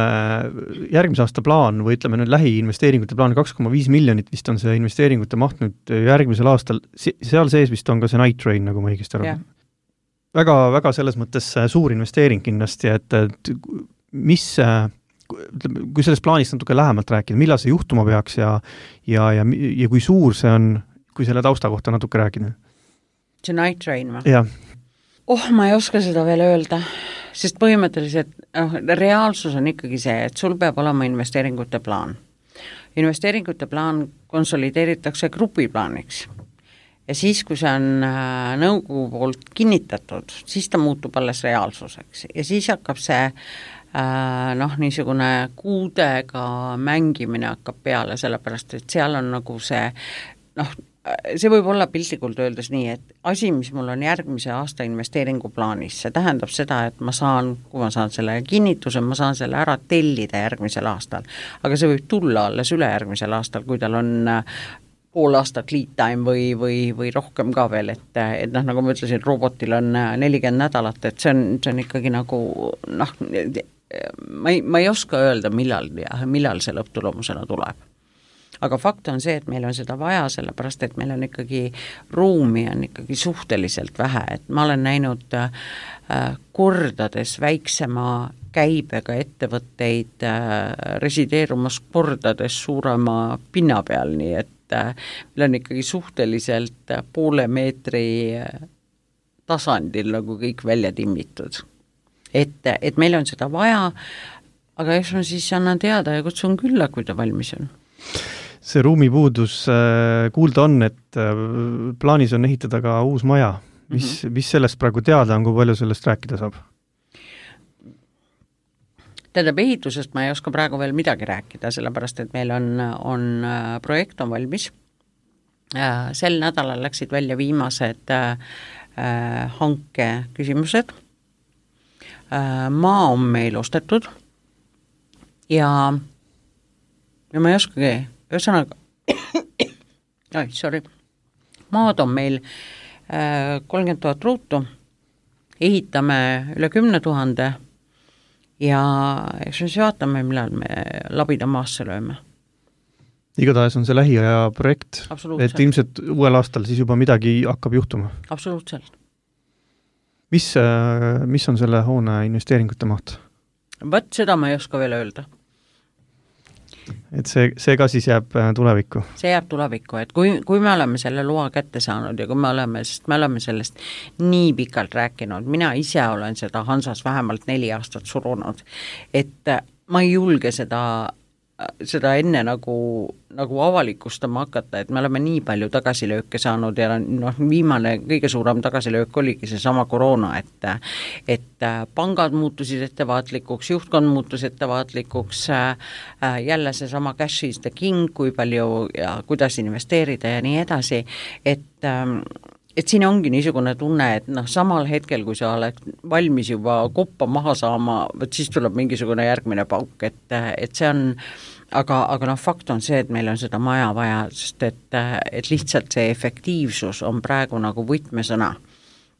järgmise aasta plaan või ütleme nüüd lähiinvesteeringute plaan kaks koma viis miljonit vist on see investeeringute maht nüüd järgmisel aastal. Seal sees vist on ka see Night Train, nagu ma õigesti arvan. Väga, väga selles mõttes suur investeering kindlasti, et, et mis, kui sellest plaanist natuke lähemalt rääkida, millal see juhtuma peaks ja, ja, ja, ja kui suur see on, kui selle tausta kohta natuke rääkida? See Night Train või? Jah. Oh, ma ei oska seda veel öelda, sest põhimõtteliselt oh, reaalsus on ikkagi see, et sul peab olema investeeringute plaan. Investeeringute plaan konsolideeritakse grupiplaaniks ja siis, kui see on nõukogu poolt kinnitatud, siis ta muutub alles reaalsuseks ja siis hakkab see noh, niisugune kuudega mängimine hakkab peale, sellepärast et seal on nagu see noh, see võib olla piltlikult öeldes nii, et asi, mis mul on järgmise aasta investeeringu plaanis, see tähendab seda, et ma saan, kui ma saan selle kinnituse, ma saan selle ära tellida järgmisel aastal, aga see võib tulla alles ülejärgmisel aastal, kui tal on pool aastat lead time või, või, või rohkem ka veel, et, et noh, nagu ma ütlesin, robotil on nelikümmend nädalat, et see on, see on ikkagi nagu noh, ma ei, ma ei oska öelda, millal, millal see lõpptulemusena tuleb. Aga fakt on see, et meil on seda vaja, sellepärast, et meil on ikkagi ruumi on ikkagi suhteliselt vähe, et ma olen näinud äh, kordades väiksema käibega ettevõtteid äh, resideerumas kordades suurema pinna peal, nii et äh, meil on ikkagi suhteliselt äh, poole meetri äh, tasandil nagu kõik välja timmitud. Et, et meil on seda vaja, aga eks ma siis annan teada ja kutsun külla, kui ta valmis on. See ruumipuudus kuulda on, et plaanis on ehitada ka uus maja. Mis, mm-hmm. mis sellest praegu teada on, kui palju sellest rääkida saab? Tähendab, ehitusest ma ei oska praegu veel midagi rääkida, sellepärast, et meil on, on projekt on valmis. Sel nädalal läksid välja viimased hanke küsimused. Maa on meil ostetud ja, ja ma ei oskagi ühesõnaga, oi, sorry, maad on meil kolmkümmend tuhat ruutu, ehitame üle kümne tuhande ja eks me siis vaatame, millal me labida maasse lööme. Igatahes on see lähiaja projekt, et ilmselt uuel aastal siis juba midagi hakkab juhtuma. Absoluutselt. Mis, mis on selle hoone investeeringute maht? Võt, seda ma ei oska veel öelda. et see, see ka siis jääb tulevikku? See jääb tulevikku, et kui, kui me oleme selle loa kätte saanud ja kui me oleme, sest me oleme sellest nii pikalt rääkinud, mina ise olen seda Hansas vähemalt neli aastat surunud, et ma ei julge seda seda enne nagu, nagu avalikustama hakata, et me oleme nii palju tagasilööke saanud ja noh, viimane kõige suurem tagasilöök oligi see sama koroona, et et pangad muutusid ettevaatlikuks, juhtkond muutus ettevaatlikuks, jälle see sama cash is the king, kui palju ja kuidas investeerida ja nii edasi, et et siin ongi niisugune tunne, et noh, samal hetkel, kui sa oled valmis juba koppa maha saama, võt siis tuleb mingisugune järgmine pauk, et, et see on, aga, aga noh, fakt on see, et meil on seda maja vaja, sest et, et lihtsalt see efektiivsus on praegu nagu võtmesõna.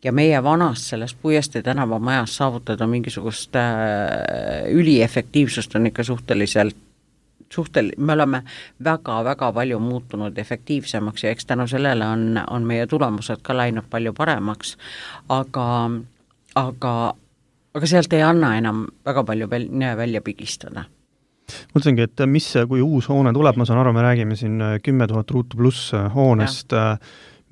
Ja meie vanast sellest Puiestee tänava majas saavutada mingisugust äh, üliefektiivsust on ikka suhteliselt suhtel, me oleme väga-väga palju muutunud efektiivsemaks ja eks tänu sellele on, on meie tulemused ka läinud palju paremaks, aga, aga, aga sealt ei anna enam väga palju väl, välja pigistada. Mõtlengi, et mis, kui uus hoone tuleb, ma saan aru, me räägime siin kümme tuhat ruutu pluss hoonest, ja.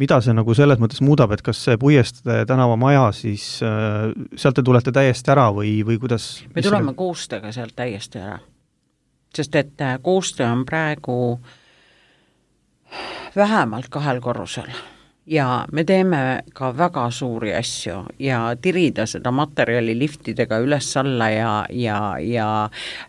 Mida see nagu selles mõttes muudab, et kas see Puiestee tänava maja, siis sealt te tulete täiesti ära või, või kuidas? Me tuleme see... koostega sealt täiesti ära. Sest et koostöö on praegu vähemalt kahel korrusel ja me teeme ka väga suuri asju ja tirida seda materjali liftidega üles-alla ja, ja, ja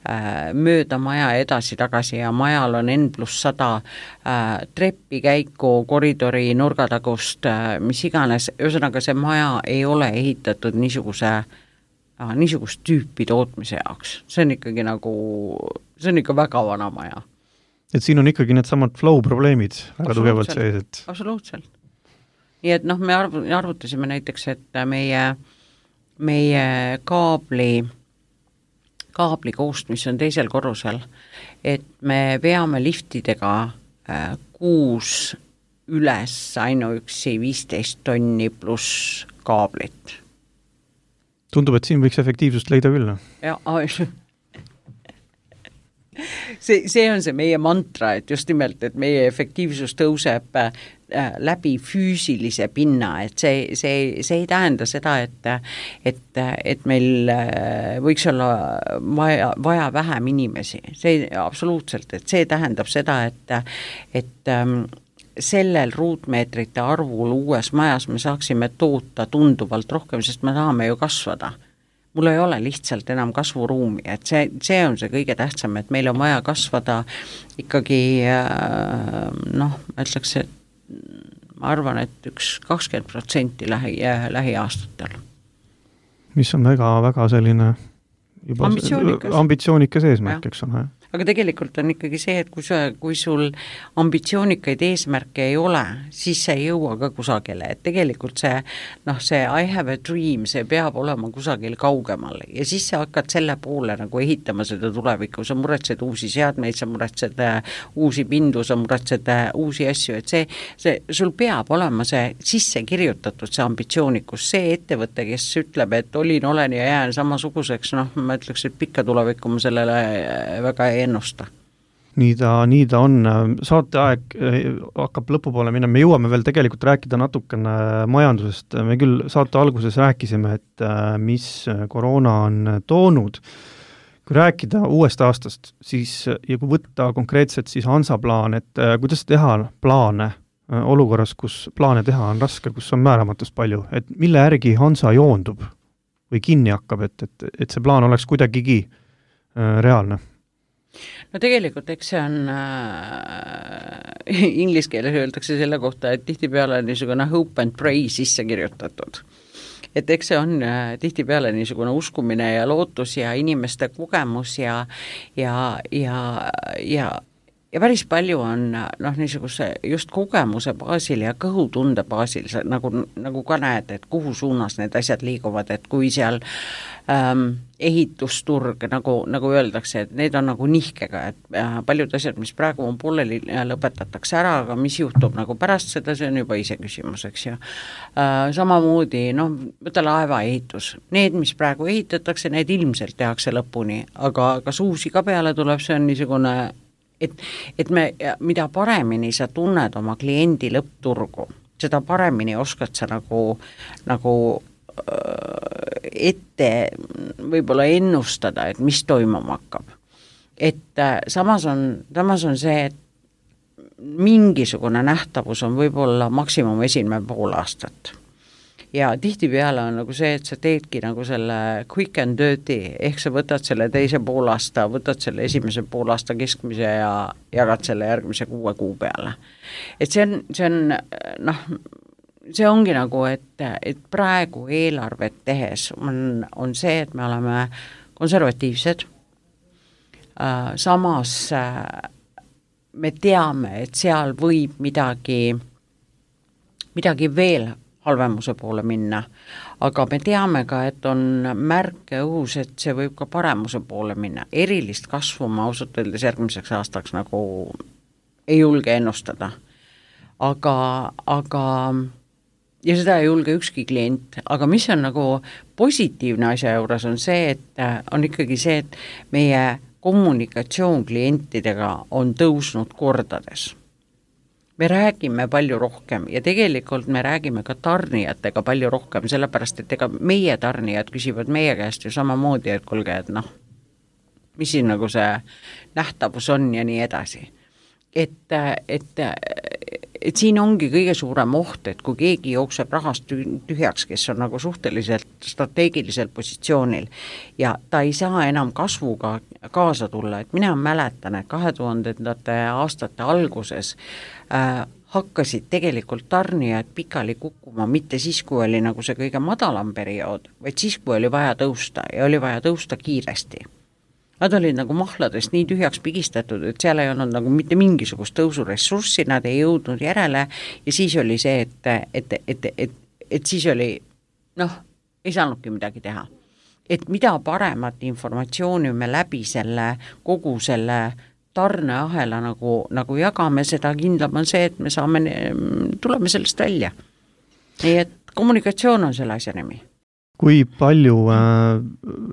äh, mööda maja edasi-tagasi ja majal on N pluss sada äh, treppi käiku, koridori, nurgatagust, äh, mis iganes, ühesõnaga see maja ei ole ehitatud niisuguse Aga niisugust tüüpi tootmise jaoks. See on ikkagi nagu, see on ikka väga vana maja. Et siin on ikkagi need samad flow probleemid väga tugevalt sees, et... Absoluutselt. Nii et noh, me arvutasime näiteks, et meie, meie kaabli, kaabli koost, mis on teisel korrusel, et me veame liftidega kuus üles ainuüksi viisteist tonni pluss kaablit. Tundub, et siin võiks efektiivsust leida küll. Ja, see, see on see meie mantra, et just nimelt, et meie efektiivsus tõuseb läbi füüsilise pinna, et see, see, see ei tähenda seda, et, et, et meil võiks olla vaja, vaja vähem inimesi. See absoluutselt, et see tähendab seda, et, et sellel ruutmeetrite arvul uues majas me saaksime toota tunduvalt rohkem, sest me tahame ju kasvada. Mul ei ole lihtsalt enam kasvuruumi, et see, see on see kõige tähtsam, et meil on vaja kasvada ikkagi noh, ma ütleks, et ma arvan, et üks kakskümmend protsenti lähi, lähiaastatel. Mis on väga, väga selline juba ambitsioonikas, ambitsioonikas eesmärk, eks ole. Aga tegelikult on ikkagi see, et kui, sa, kui sul ambitsioonikaid eesmärke ei ole, siis see ei jõua ka kusagile, et tegelikult see, noh, see I have a dream, see peab olema kusagil kaugemal ja siis sa hakkad selle poole nagu ehitama seda tulevikku, sa muretsed uusi seadmeid, sa muretsed uusi pindu, sa muretsed uusi asju, et see, see, sul peab olema see sisse kirjutatud, see ambitsioonikus, see ettevõte, kes ütleb, et olin, olen ja jään samasuguseks, noh, ma ütleks, et pikka tulevikku ma sellele väga ei ennusta. Nii ta, nii ta on. Saateaeg hakkab lõpupoole minna. Me jõuame veel tegelikult rääkida natukene majandusest. Me küll saate alguses rääkisime, et mis koroona on toonud. Kui rääkida uuest aastast, siis, ja kui võtta konkreetselt siis Hansa plaan, et kuidas teha plaane olukorras, kus plaane teha on raske, kus on määramatust palju, et mille järgi Hansa joondub või kinni hakkab, et, et, et see plaan oleks kuidagigi reaalne? No tegelikult eks see on äh, inglise keeles öeldakse selle kohta, et tihtipeale on niisugune hope and pray sisse kirjutatud. Et eks see on äh, tihtipeale niisugune uskumine ja lootus ja inimeste kogemus ja, ja, ja, ja, ja päris palju on noh, niisuguse just kogemuse baasil ja kõhutunde baasil, nagu, nagu ka näed, et kuhu suunas need asjad liiguvad, et kui seal ähm, ehitusturg, nagu, nagu öeldakse, et need on nagu nihkega, et äh, paljud asjad, mis praegu on pooleli, lõpetatakse ära, aga mis juhtub nagu pärast seda, see on juba ise küsimus, eks ju. Äh, samamoodi, noh, võta laeva ehitus. Need, mis praegu ehitatakse, need ilmselt tehakse lõpuni, aga kas uusi ka peale tuleb, see on niisugune et, et me, mida paremini sa tunned oma kliendi lõppturgu, seda paremini oskad sa nagu, nagu ette võib-olla ennustada, et mis toimuma hakkab. Et samas on, samas on see, et mingisugune nähtavus on võib-olla maksimum esimene pool aastat. Ja tihtipeale on nagu see, et sa teedki nagu selle quick and dirty, ehk sa võtad selle teise poolaasta, võtad selle esimese poolaasta keskmise ja jagad selle järgmise kuue kuu peale. Et see on, see on, noh, see ongi nagu, et, et praegu eelarvet tehes on, on see, et me oleme konservatiivsed, samas me teame, et seal võib midagi, midagi veel halvemuse poole minna, aga me teame ka, et on märke õhus, et see võib ka paremuse poole minna. Erilist kasvu ma ausalt öeldes järgmiseks aastaks nagu ei julge ennustada. Aga, aga ja seda ei julge ükski klient, aga mis on nagu positiivne asja juures on see, et on ikkagi see, et meie kommunikatsioon klientidega on tõusnud kordades. Me räägime palju rohkem ja tegelikult me räägime ka tarnijatega palju rohkem, sellepärast, et ega meie tarnijad küsivad meie käest ju samamoodi, et kulge, et noh, mis siin nagu see nähtavus on ja nii edasi. Et, et, et siin ongi kõige suurem oht, et kui keegi jookseb rahast tühjaks, kes on nagu suhteliselt strateegilisel positsioonil ja ta ei saa enam kasvuga kaasa tulla, et mina mäletan, et kahe tuhandendate aastate alguses äh, hakkasid tegelikult tarnijad pikali kukkuma, mitte siis, kui oli nagu see kõige madalam periood, vaid siis, kui oli vaja tõusta ja oli vaja tõusta kiiresti. Nad olid nagu mahladest nii tühjaks pigistatud, et seal ei olnud nagu mitte mingisugust tõusuressurssi, nad ei jõudnud järele ja siis oli see, et, et, et, et, et siis oli, noh, ei saanudki midagi teha. Et mida paremat informatsiooni me läbi selle, kogu selle tarneahela nagu, nagu jagame, seda kindlam on see, et me saame, tuleme sellest välja. Nii et kommunikatsioon on selle asja nimi. Kui palju äh,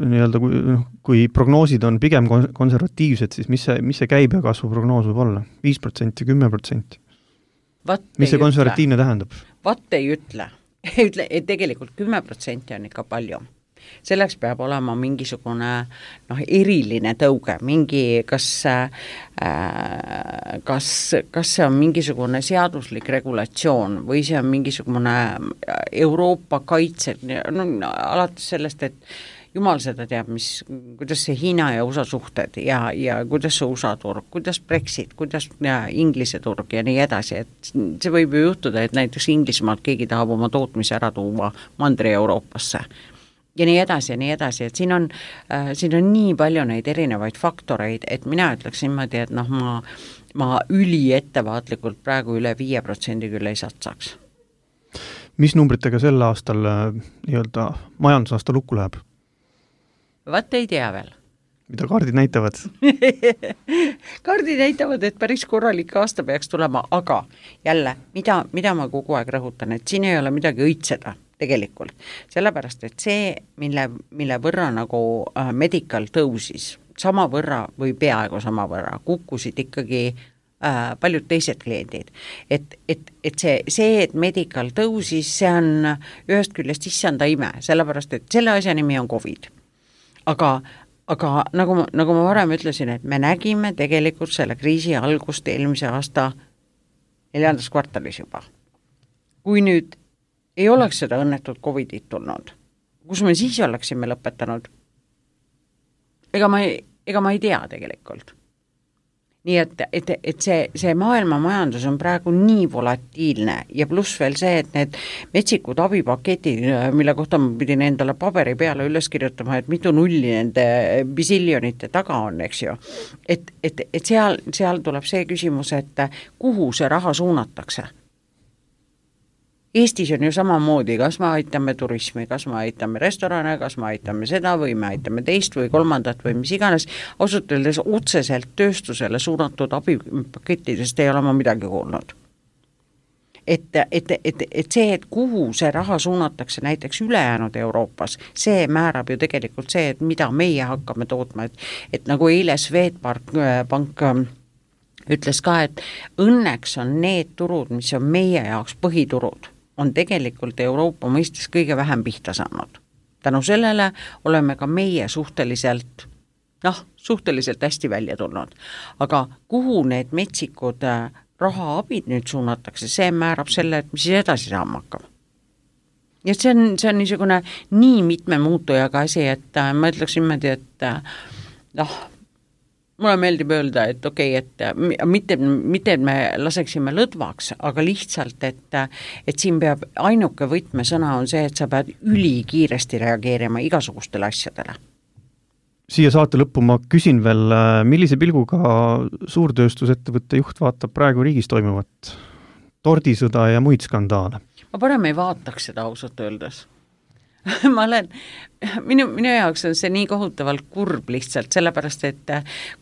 nii-öelda, kui, kui prognoosid on pigem konservatiivsed, siis mis see, mis see käibekasvu prognoos võib olla? viis protsenti, kümme protsenti? Mis see konservatiivne ütle. Tähendab? Vat ei ütle. ei ütle, et tegelikult kümme protsenti on ikka palju. Selleks peab olema mingisugune noh, eriline tõuge, mingi, kas, äh, kas, kas see on mingisugune seaduslik regulatsioon või see on mingisugune Euroopa kaitse, no, alates sellest, et jumal seda teab, mis, kuidas see Hiina ja U S A suhted ja, ja kuidas see U S A turg, kuidas Brexit, kuidas ja, Inglise turg ja nii edasi, et see võib ju juhtuda, et näiteks Inglismaalt keegi tahab oma tootmise ära tuua Mandri-Euroopasse ja nii edasi ja nii edasi, et siin on, äh, siin on nii palju neid erinevaid faktoreid, et mina ütleks niimoodi, et noh, ma, ma üli ettevaatlikult praegu üle viie protsendi küll ei satsaks. Mis numbritega sel aastal nii-öelda majandusaasta lukku läheb? Vaat ei tea veel. Mida kaardid näitavad? Kaardid näitavad, et päris korralik aasta peaks tulema, aga jälle, mida, mida ma kogu aeg rõhutan, et siin ei ole midagi õitseda tegelikult, sellepärast, et see, mille, mille võrra nagu äh, medical tõusis, sama võrra või peaaegu sama võrra, kukkusid ikkagi äh, paljud teised kliendid. Et, et, et see, see, et medical tõusis, see on ühest küljest issanda ime, sellepärast, et selle asja nimi on COVID. Aga, aga nagu, nagu ma varem ütlesin, et me nägime tegelikult selle kriisi algust eelmise aasta neljandas kvartalis juba. Kui nüüd ei oleks seda õnnetut COVIDit tulnud, kus me siis oleksime lõpetanud? Ega ma ei, ega ma ei tea tegelikult. Nii et, et, et see, see maailma majandus on praegu nii volatiilne ja pluss veel see, et need metsikud abipaketid, mille kohta ma pidin endale paberi peale üles kirjutama, et mitu nulli nende bisiljonite taga on, eks ju. Et, et, et seal, seal tuleb see küsimus, et kuhu see raha suunatakse. Eestis on ju samamoodi, kas me aitame turismi, kas me aitame restorane, kas me aitame seda või me aitame teist või kolmandat või mis iganes, ausalt öeldes otseselt tööstusele suunatud abipakettidest ei ole ma midagi kuulnud. Et, et, et, et see, et kuhu see raha suunatakse näiteks ülejäänud Euroopas, see määrab ju tegelikult see, et mida meie hakkame tootma, et, et nagu eile Swedbank pank ütles ka, et õnneks on need turud, mis on meie jaoks põhiturud, on tegelikult Euroopa mõistes kõige vähem pihta saanud. Tänu sellele oleme ka meie suhteliselt, noh, suhteliselt hästi välja tulnud. Aga kuhu need metsikud rahaabid nüüd suunatakse, see määrab selle, et mis siis edasi saama hakkab. Ja see on, see on niisugune nii mitme muutujaga asi, et ma ütleks niimoodi, et noh, mulle meeldib öelda, et okei, okay, et mitte, mitte et me laseksime lõdvaks, aga lihtsalt, et, et siin peab ainuke võtmesõna on see, et sa pead ülikiiresti reageerima igasugustele asjadele. Siia saate lõppu ma küsin veel, millise pilguga suurtööstusettevõtte juht vaatab praegu riigis toimuvat tordisõda ja muid skandaale? Ma parem ei vaataks seda ausalt öeldes. ma olen, minu, minu jaoks on see nii kohutavalt kurb lihtsalt, sellepärast, et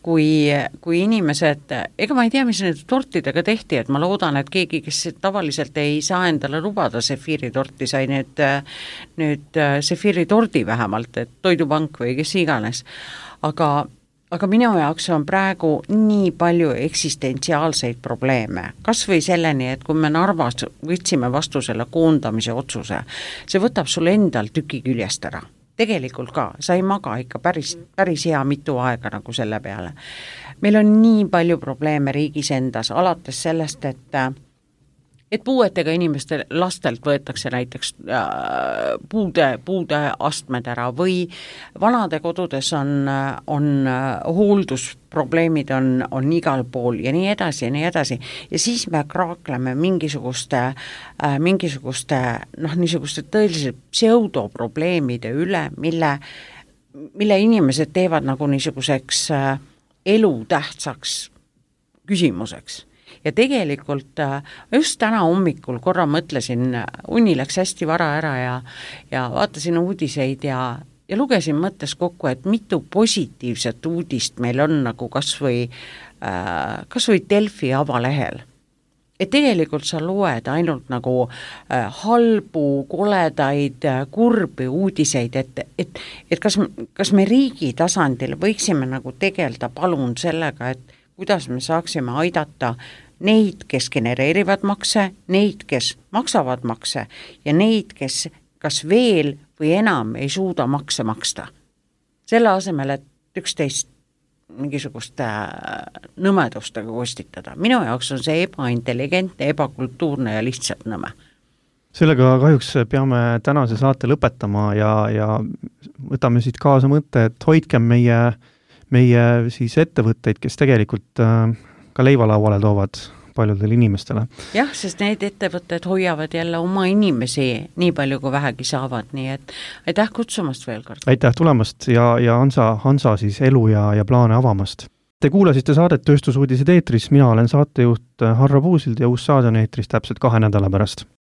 kui, kui inimesed, ega ma ei tea, mis need tortidega tehti, et ma loodan, et keegi, kes tavaliselt ei saa endale lubada sefiiritorti, sai nüüd, nüüd sefiiritordi vähemalt, et Toidupank või kes iganes, aga Aga minu jaoks on praegu nii palju eksistentsiaalseid probleeme. Kas või selleni, et kui me Narvas võtsime vastu selle koondamise otsuse, see võtab sul endal tüki küljest ära. Tegelikult ka, sa ei maga ikka päris, päris hea mitu aega nagu selle peale. Meil on nii palju probleeme riigis endas, alates sellest, et et puuetega inimeste lastelt võetakse näiteks puude, puude astmed ära või vanade kodudes on, on hooldusprobleemid on, on igal pool ja nii edasi ja nii edasi. Ja siis me kraakleme mingisuguste, mingisuguste noh, niisuguste tõeliselt pseudoprobleemide üle, mille, mille inimesed teevad nagu niisuguseks elutähtsaks küsimuseks. Ja tegelikult just täna hommikul korra mõtlesin, uni läks hästi vara ära ja, ja vaatasin uudiseid ja, ja lugesin mõttes kokku, et mitu positiivset uudist meil on nagu kas või, äh, kas või Delfi avalehel. Et tegelikult sa loed ainult nagu äh, halbu, koledaid, kurbi uudiseid, et, et, et kas, kas me riigi tasandil võiksime nagu tegelda palun sellega, et kuidas me saaksime aidata neid, kes genereerivad makse, neid, kes maksavad makse ja neid, kes kas veel või enam ei suuda makse maksta. Selle asemel, et üksteist mingisuguste nõmedustega kostitada. Minu jaoks on see ebaintelligentne, ebakultuurne ja lihtsalt nõme. Sellega kahjuks peame tänase saate lõpetama ja, ja võtame siit kaasa mõtte, et hoidkem meie, meie siis ettevõtteid, kes tegelikult ka leivalauale toovad paljudele inimestele. Jah, sest need ettevõtted hoiavad jälle oma inimesi nii palju, kui vähegi saavad, nii et aitäh kutsumast veel kord. Aitäh tulemast ja, ja Hansa, Hansa siis elu ja, ja plaane avamast. Te kuulasite saadet Tööstusuudised eetris, mina olen saatejuht Harro Puusild ja uus saade on eetris täpselt kahe nädala pärast.